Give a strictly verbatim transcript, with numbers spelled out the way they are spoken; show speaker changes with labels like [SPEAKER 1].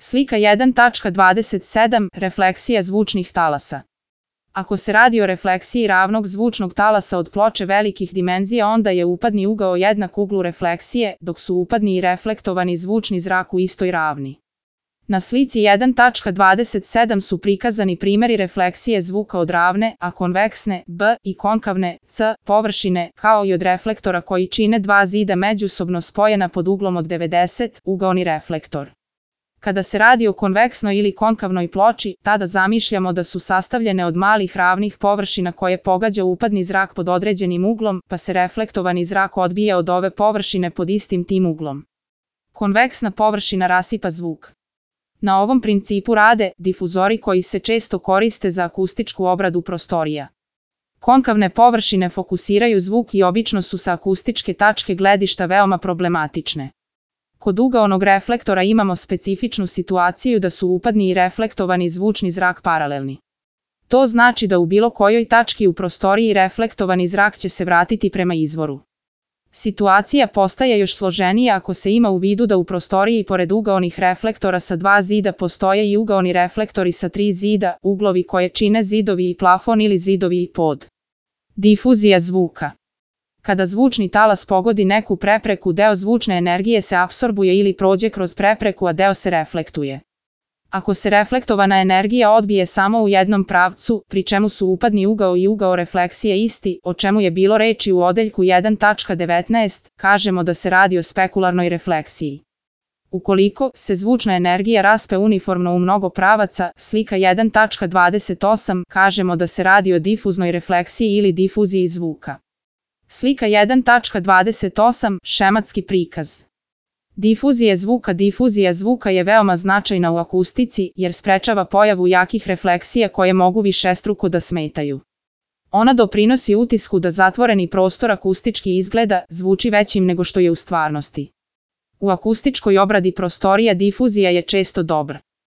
[SPEAKER 1] Slika jedan tačka dvadeset sedam. Refleksija zvučnih talasa. Ako se radi o refleksiji ravnog zvučnog talasa od ploče velikih dimenzija, onda je upadni ugao jednak uglu refleksije, dok su upadni i reflektovani zvučni zrak u istoj ravni. Na slici jedan tačka dvadeset sedam su prikazani primjeri refleksije zvuka od ravne, a konveksne, B, i konkavne, C, površine, kao i od reflektora koji čine dva zida međusobno spojena pod uglom od devedeset, ugaoni reflektor. Kada se radi o konveksnoj ili konkavnoj ploči, tada zamišljamo da su sastavljene od malih ravnih površina koje pogađa upadni zrak pod određenim uglom, pa se reflektovani zrak odbija od ove površine pod istim tim uglom. Konveksna površina rasipa zvuk. Na ovom principu rade difuzori koji se često koriste za akustičku obradu prostorija. Konkavne površine fokusiraju zvuk i obično su sa akustičke tačke gledišta veoma problematične. Kod ugaonog reflektora imamo specifičnu situaciju da su upadni i reflektovani zvučni zrak paralelni. To znači da u bilo kojoj tački u prostoriji reflektovani zrak će se vratiti prema izvoru. Situacija postaje još složenija ako se ima u vidu da u prostoriji pored ugaonih reflektora sa dva zida postoje i ugaoni reflektori sa tri zida, uglovi koje čine zidovi i plafon ili zidovi i pod. Difuzija zvuka. Kada zvučni talas pogodi neku prepreku, deo zvučne energije se apsorbuje ili prođe kroz prepreku, a deo se reflektuje. Ako se reflektovana energija odbije samo u jednom pravcu, pri čemu su upadni ugao i ugao refleksije isti, o čemu je bilo reči u odeljku jedan tačka devetnaest, kažemo da se radi o spekularnoj refleksiji. Ukoliko se zvučna energija raspe uniformno u mnogo pravaca, slika jedan tačka dvadeset osam, kažemo da se radi o difuznoj refleksiji ili difuziji zvuka. Slika jedan tačka dvadeset osam. Šematski prikaz. Difuzija zvuka. Difuzija zvuka je veoma značajna u akustici jer sprečava pojavu jakih refleksija koje mogu višestruko da smetaju. Ona doprinosi utisku da zatvoreni prostor akustički izgleda, zvuči većim nego što je u stvarnosti. U akustičkoj obradi prostorija difuzija je često dobra.